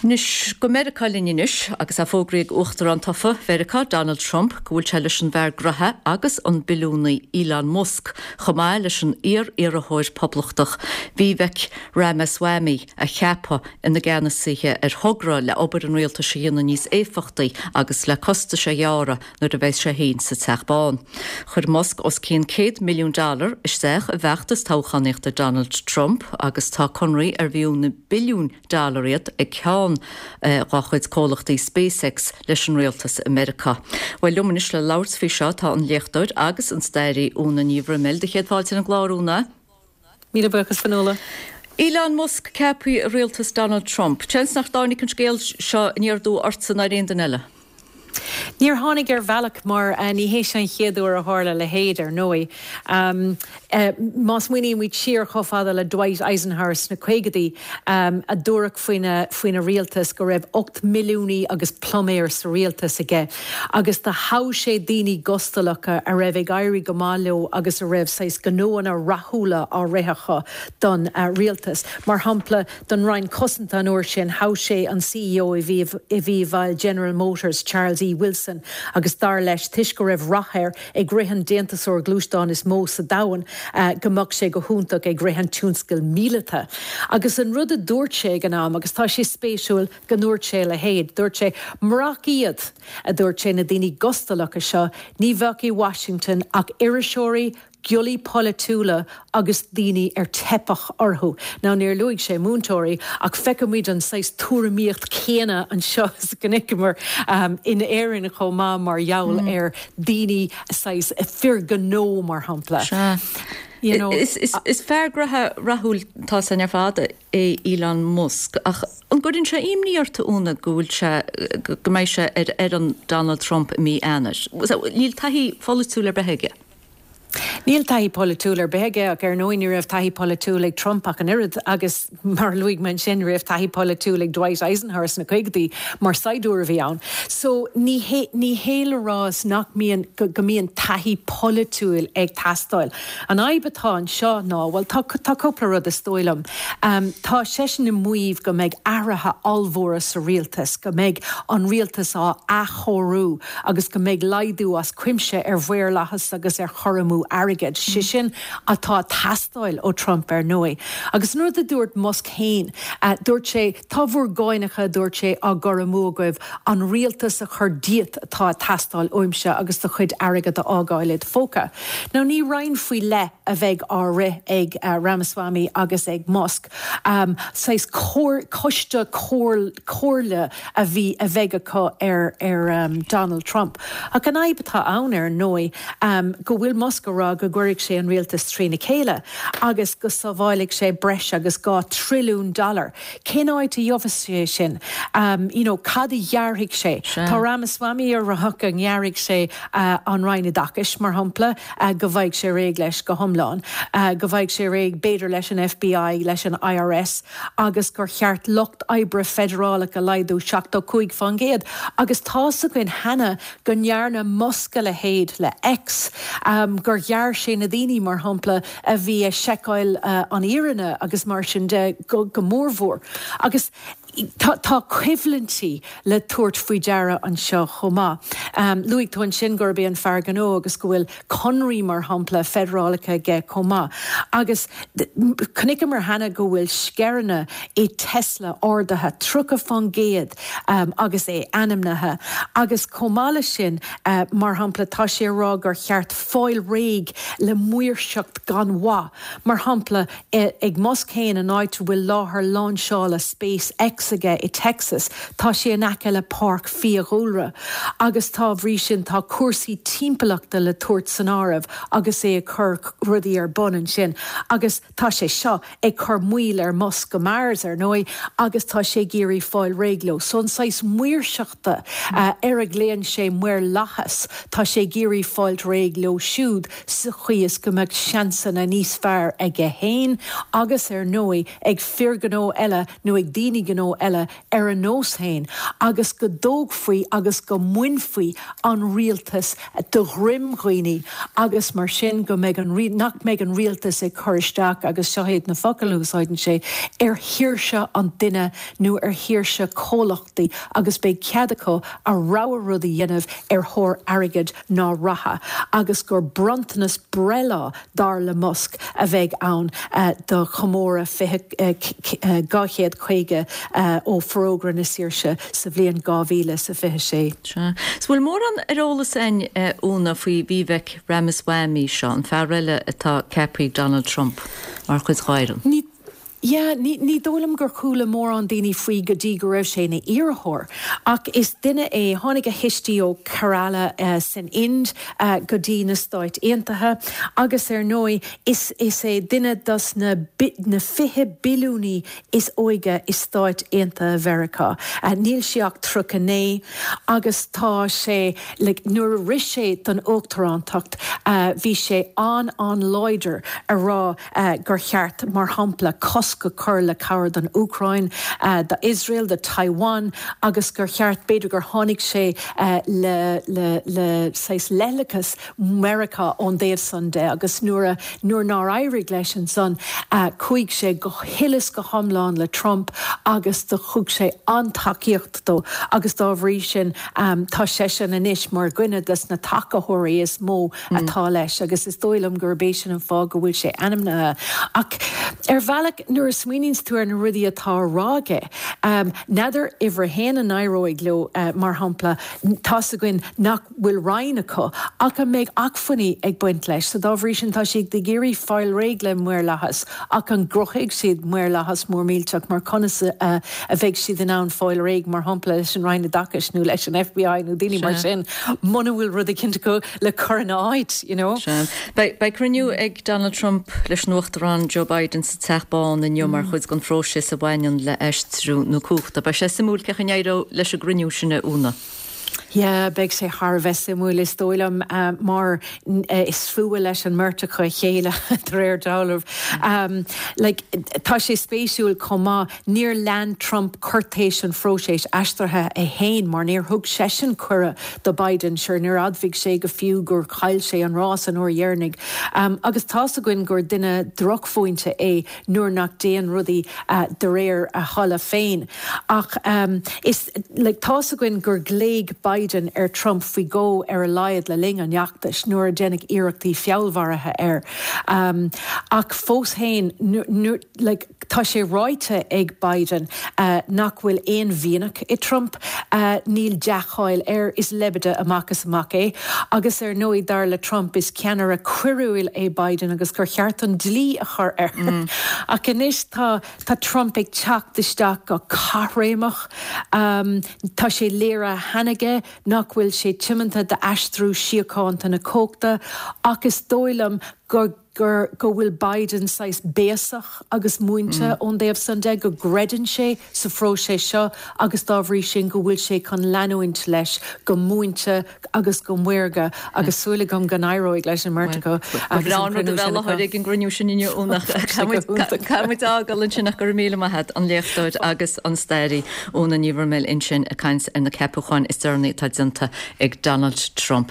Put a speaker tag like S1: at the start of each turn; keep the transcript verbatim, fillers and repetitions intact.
S1: Anois go Meiriceá linn anois agus a fógraíodh uachtarán tofa Mheiriceá Donald Trump go bhfuil sé leis an bhfear gnó agus an billiúnaí Elon Musk chomh maith leis an iar-iarrthóir poblachtach Vivek Ramaswamy a cheapadh ina gceannasaithe ar thogra le obair an rialtais a dhéanamh níos éifeachtaí agus le costais a ghearradh nuair a bheidh sé féin sa Teach Bán. Chuir Musk os cionn céad milliún dollar isteach i bhfeachtas toghchánaíochta Donald Trump agus tá conraí ar fiú na billiún dollar iad ag ceann eh, dá chuid comhlachtaí SpaceX leis an rialtas i Meiriceá. Well liom anois le labhairt faoi seo tá an léachtóir agus an staraí Úna Ní Bhroiméil do chéad fáilte an gclár Úna.
S2: Míle buíochas Fionnuala.
S1: Elon Musk ceaptha i rialtas Donald Trump. Seans nach dtáinig an scéal seo aniar aduaidh ortsa ná ar aon duine eile.
S2: Níor tháinig ar bhealach mar uh, ní hé an chéad uair a tharla a leithéid ar ndóigh. Um, uh, má smaoinímid siar chomh fada le Dwight Eisenhower sna caogaidí um, a dúradh faoina faoina rialtas go raibh ocht milliúnaí agus pluiméir sa rialtas aige. agus do thogh sé daoine gustalacha a raibh ag éirí go maith leo agus a raibh saghas gnóanna rathúla á rith acu don uh, rialtas. Mar shampla don Roinn Cosanta an uair sin thogh sé an CEO i bhí bhil General Motors Charles E. Wilson agus dar leis toisc go raibh rath air ag rith an déantúsóir gluaisteán is mó sa domhan uh, go mbeadh sé go hiontach ag rith an tionscal míleata. Agus an rud a dúirt sé ag an am agus tá sé spéisiúil go ndúirt sé a leithéid, dúirt sé murach iad a dúirt sé na daoine gustalacha seo, ní bheadh i Washington ach iriseoirí, giollaí polaitiúla agus daoine ar teipeadh orthu. Ná níor luaigh sé múinteoirí ach feicimid an saghas tuairimíocht céanna anseo go um, in Éirinn chomh maith mar gheall mm. ar daoine saghas fir gnó mar shampla.
S1: You know, is, is, is fear gnó rathúil tá san ar fad é Elon Musk ach an gcuireann sé imní ort Úna go bhfuil sé go mbeidh sé ar ar an Donald Trump mí Eanáir. Níl taithí pholaitiúil ar bith aige.
S2: Níl taithí polaitiúil ar bith aige ach ar ndóigh ní raibh taithí polaitiúil ag Trump ach an oiread agus mar luaigh mé sin raibh taithí polaitiúil ag Dwight Eisenhower sna caogaidí mar saighdiúir a bhí ann. So ní ní hé le rá nach mbíonn go, go mbíonn taithí polaitiúil ag teastáil. An fhadhb atá anseo ná well tá tá cúpla rud is dóigh liom. Um, tá seisean ag maíomh go mbeidh athruithe ollmhóra sa rialtas, go mbeidh an rialtas á athchóiriú agus go mbeidh laghdú as cuimse ar mhaorlathas agus ar chur amú airgid. Sé sin atá ag teastáil ó Trump ar ndóigh. Agus nuair a dúirt Musk féin, uh, dúirt sé tá bhur gcánacha dúirt sé á gcur amú agaibh an rialtas a chur díot atá ag teastáil uaimse agus do chuid airgid a fhágáil i do phóca. Now ní roinn faoi leith a bheidh á rith ag uh, Ramaswamy agus ag Musk. Um, saghas coiste comhairle a bhí a bheidh acu ar ar um, Donald Trump. Ach an fhadhb atá ann ar ndóigh um, go bhfuil Musk á rá go gcuirfidh sé an rialtas trína chéile agus go sábhálfaidh sé breis agus dhá trilliún dollar. Cén áit a gheobhas sé sin? Um, you know, cad a ghearrfaidh sé. Tá Ramaswamy á rá go ngearrfaidh sé uh, an Roinn Oideachais mar shampla uh, go bhfaighidh sé réidh leis go hiomlán, uh, go bhfaighidh sé réidh b'fhéidir leis an FBI leis an IRS agus gur cheart lucht oibre feidearálach a laghdú seachtó cúig faoin gcéad, agus tá a fhios againn cheana go ndearna Musk a leithéid le X um, gur ghearr sé na daoine mar shampla a bhí ag seiceáil uh, an fhírinne agus mar sin de go, go mórmhór. Agus Tá, tá coimhlintí le tabhairt faoi deara anseo chomh maith. Um, Luaigh tú ansin gurb é an fear gnó agus go bhfuil conraí mar shampla feidearálacha aige chomh maith. Agus chonaiceamar cheana go bhfuil scaireanna i Tesla ardaithe tríocha faoin gcéad um, agus é ainmnithe. Agus chomh maith leis sin uh, mar shampla tá sé á rá gur cheart fáil réidh le maoirseacht gan mhaith. Mar shampla eh, ag Musk féin an áit a bhfuil láthair lainseála SpaceX aige i Texas, tá sé in aice le páirc fiadhúlra. Agus dá bhrí sin tá cúrsaí timpeallachta le tabhairt san áireamh agus é ag cur rudaí ar bun ansin. Agus tá sé seo ag cur moill ar Musk go Mars ar ndóigh, agus tá sé ag iarraidh fáil réidh leo. So an saghas maoirseachta uh, ar a nglaonn sé maorlathas, tá sé ag iarraidh fáil réidh leo siúd sa chaoi is go mbeadh seansanna níos fearr aige féin agus ar ndóigh ag fir gnó eile nó ag daoine gnó gnó eile ar a nós féin agus go dtógfaí agus go mbainfí an rialtas de dhroim dhaoine agus mar sin go mbeidh an nach mbeidh an rialtas ag cur isteach agus seo iad na focail a úsáideann sé ar shaoirse an duine nó ar shaoirse comhlachtaí agus beidh cead acu a rogha rud a dhéanamh ar thóir airgid ná ratha agus gur bronntanas breithlá dar le Musk a bheidh ann uh, do chomóradh dhá chéad caoga ó Fhorógra na Saoirse sa bhliain dhá mhíle is a fiche sé.
S1: 'S bhfuil mórán ar eolas againn Úna faoi Vivek Ramaswamy seo an fear eile atá ceaptha ag Donald Trump mar chuid dá fhoireann.
S2: Ní Yeah, ní, ní dóigh liom gur chuala mórán daoine faoi go dtí go raibh sé ina iarrthóir. Ach is duine é tháinig a thuistí ó Kerala uh, san Ind uh, go dtí na Stáit Aontaithe, agus ar ndóigh is, is é duine dos na, na fiche billiúnaí is óige i Stáit Aontaithe Mheiriceá. Uh, níl sé ach tríocha naoi agus tá sé like, nuair a rith sé don uachtarántacht uh, bhí sé an an-láidir a rá uh, gur cheart mar shampla cos go cur le cabhair don Úcráin, uh, do Israel, do Taiwan, agus gur cheart b'fhéidir gur tháinig sé uh, le, le, le saghas leithleachas Meiriceá ón dtaobh san de agus nuair nuair nár éirigh leis ansan uh, chuaigh sé go huile is go hiomlán le Trump agus do thug sé an-tacaíocht dó agus dá bhrí sin um, tá seisean anois mar dhuine des na tacaitheoirí is mó mm. atá leis agus is dóigh liom gurb é sin an fáth go bhfuil sé ainmnithe. Ach ar bhealach nuair a smaoiníonn tú ar na rudaí atá á rá aige. Um, N'fheadar uimhir a haon an éireoidh leo uh, mar shampla tá a fhios againn nach bhfuil roinn acu ach an mbeidh acmhainní ag baint leis, so dá bhrí sin tá siad ag iarraidh fáil réidh le maorlathas ach an gcruthóidh siad maorlathas mór millteach mar conas uh, a bheidh siad in ann fáil réidh mar shampla leis an Roinn Oideachais nó leis an FBI nó daoine mar sin muna bhfuil rud éicint acu le cur ina áit, you know.
S1: Beidh cruinniú ag Donald Trump leis an Uachtarán Joe Biden sa Teach Bán inniu mar chuid den phróiseas a bhaineann le aistriú na cumhachta. Beidh sé suimiúil cén chaoi a n-éireoidh leis an gcruinniú sin Úna.
S2: Ja, beidh sé thar a bheith suimiúil is dóigh liom uh, mar uh, is fuath leis an mbeirt acu a chéile de réir dealraimh. Um, like, tá sé spéisiúil chomh maith níor lean Trump cúirtéis an phróisis aistrithe é féin mar níor thug seisean cuireadh do Biden sure níor admhaigh sé go fiú gur chaill sé an rás an uair dheireanach. Um, agus tá a fhios againn gur duine drochmhúinte é nuair nach dtéann rudaí uh, de réir a thola féin. Ach um, is like, tá a fhios againn gur ghlaoigh Biden ar Trump faoi dhó ar a laghad le linn an fheachtais nuair a deineadh iarrachtaí feallmharaithe air. Um, ach fós féin like, tá sé ráite ag Biden uh, nach bhfuil aon mhianach i Trump uh, níl dea-cháil air is leibide amach is amach é, agus ar ndóigh dar le Trump is ceannaire coiriúil é Biden agus gur cheart an dlí a chur air. Mm. Ach anois tá tá Trump ag teacht isteach go caithréimeach um, tá sé léirithe cheana aige nach bhfuil sé tiomanta d'aistriú síochánta na cumhachta ach is dóigh liom gur gur go bhfuil Biden saghas béasach agus múinte mm. ón dtaobh san de go gcreideann sé sa phróiseas seo agus dá bhrí sin go bhfuil sé chun leanúint leis go múinte agus go maorga agus mm. súil agam go n-éireoidh leis an mbeirt acu
S1: ag an gcruinniú sin inniu Caithfimid fágáil ansin ach go raibh míle maith agat an léachtóir agus an staraí Úna Ní Bhroiméil ansin ag caint ar na ceapacháin is deireanaí atá déanta ag Donald Trump.